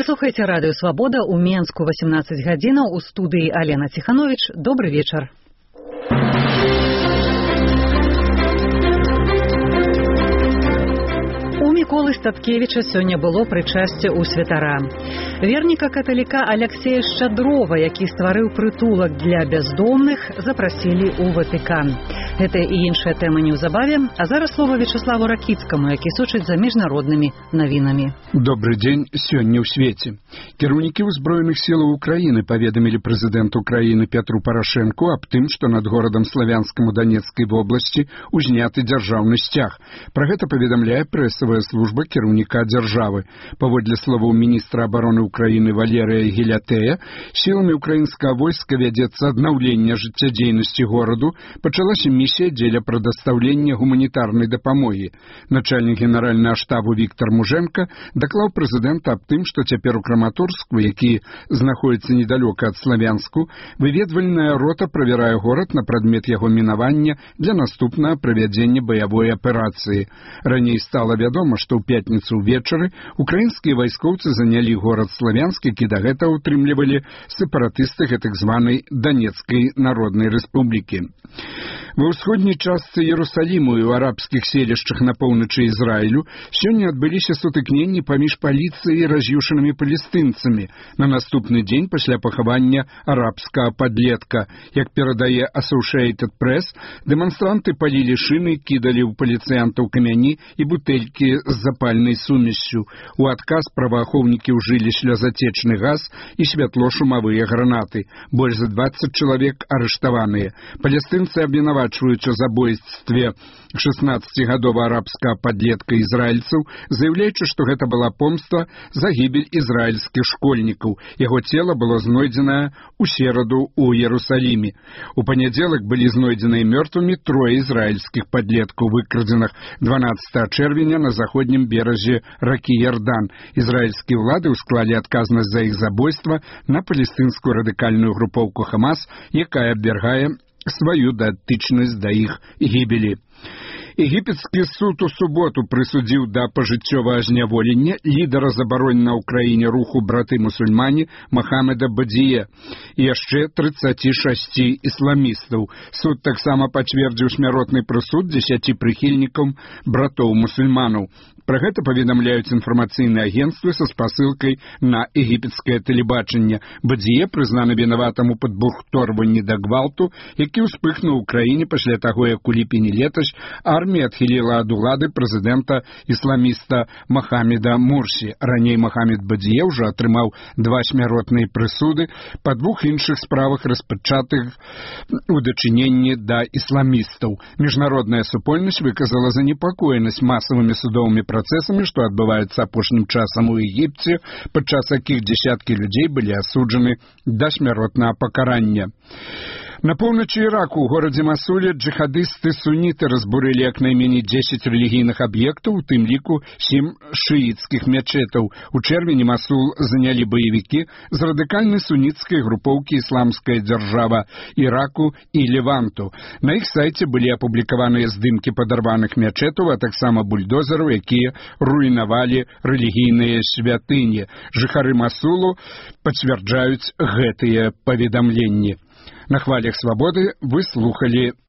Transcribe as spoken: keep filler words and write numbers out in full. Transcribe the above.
Слухайте радыё «Свабода» ў Менску восемнадцать гадзінаў, у студыі Алена Ціханович. Добры вечар. У Міколы Статкевіча сёння было прычасце ў святара. Верніка каталіка Аляксея Шчадрова, які стварыў прытулак для бяздомных, запрасілі ў Ватыкан. Гэта і іншая тэма неўзабаве, а зараз слова Вячеславу Ракіцкаму, які сочыць за міжнароднымі навінамі. Добры дзень. Сёння ў свеце. Кіраўнікі ўзброеных сілаў Украіны паведамілі прэзідэнту Украіны Пятру Парашэнку аб тым, што над горадам Славянскім у Данецкай вобласці узняты дзяржаўны сцяг. Пра гэта паведамляе прэсавая служба кіраўніка дзяржавы. Паводле словаў міністра абароны Украіны Валерыя Гелятэя, сіламі украінскага войска вядзецца аднаўленне жыццядзейнасці гораду, пачалася місія дзеля прадастаўлення гуманітарнай дапамогі. Начальнік генеральнага штабу Віктор Мужэнка даклаў прэзідэнта аб тым, што цяпер у Краматорску, які знаходзіцца недалёка ад Славянску, выведвальная рота правярае горад на прадмет яго мінавання для наступнага правядзення баявой аперацыі. Раней стала вядома, што ў пятніцу ўвечары украінскія вайскоўцы занялі горад Славянск, які дагэтуль утрымлівалі сепаратысты гэтак званай Данецкай народнай рэспублікі. Ва ўсходняй частцы Иерусаліму і ў арабскіх селішчах на поўначы Ізраілю сёння адбыліся сутыкненні паміж паліцыяй і раз'юшанымі палестынцамі на наступны дзень пасля пахавання арабскага падлетка. Як перадае Associated Press, дэманстранты палілі шыны, кідалі ў паліцыянтаў камяні і бутэлькі з запальнай сумессю. У адказ праваахоўнікі ўжылі слёзатечны газ і святло-шумавыя гранаты. Больш за дваццаць чалавек арыштаваныя. Палестынцы абвінавачваюць у забойстве шаснаццацігадовага арабскага падлетка ізраільцаў, заяўляючы, што гэта была помста за гібель ізраільскіх школьнікаў. Яго цела было знойдзенае ў сераду ў Иерусаліме. У панядзелак былі знойдзеныя мёртвымі трое ізраільскіх падлеткаў, выкрадзеных дванаццатага чэрвеня на заходнім беразе ракі Ярдан. Ізраільскія ўлады ўсклалі адказнасць за іх забойства на палестынскую радыкальную групоўку Хамас, якая абвяргае сваю датычнасць да іх гібелі. Егіпецкі суд у суботу прысудзіў да пажыццёвага зняволення лідара забароненага ў краіне руху браты-мусульмане Махамеда Бадзіе і яшчэ трыццаці шасці ісламістаў. Суд таксама пацвердзіў смяротны прысуд дзесяці прыхільнікам братоў-мусульманаў. Пра гэта паведамляюць інфармацыйныя агенцтвы са спасылкай на егіпецкае тэлебачанне. Бадзіе прызнаны вінаватым у падбурхторванні да гвалту, які ўспыхнуў у краіне пасля таго, як у ліпені летась армія адхіліла ад улады прэзідэнта ісламіста Махамеда Мурсі. Раней Махамед Бадзіе ўжо атрымаў два смяротныя прысуды па двух іншых справах, распачатых у дачыненні да ісламістаў. Міжнародная супольнасць выказала занепакоенасць масавымі судовымі працэсамі, што адбываюцца апошнім часам у Егіпце, падчас якіх дзесяткі людзей былі асуджаны да смяротнага пакарання. На поўначы Іраку ў горадзе Масуле джихадысты-суніты разбурылі як найменей дзесяць рэлігійных аб'ектаў, у тым ліку сем шыіцкіх мячэтаў. У чэрвені Масул занялі баевікі з радыкальнай суніцкай групоўкі «Ісламская дзяржава» Іраку і Леванту. На іх сайце былі апублікаваныя здымкі падарваных мячэтаў, а таксама бульдозераў, якія руйнавалі рэлігійныя святыні. Жыхары Масулу пацвярджаюць гэтыя паведамленні. На хвалях свабоды вы слухали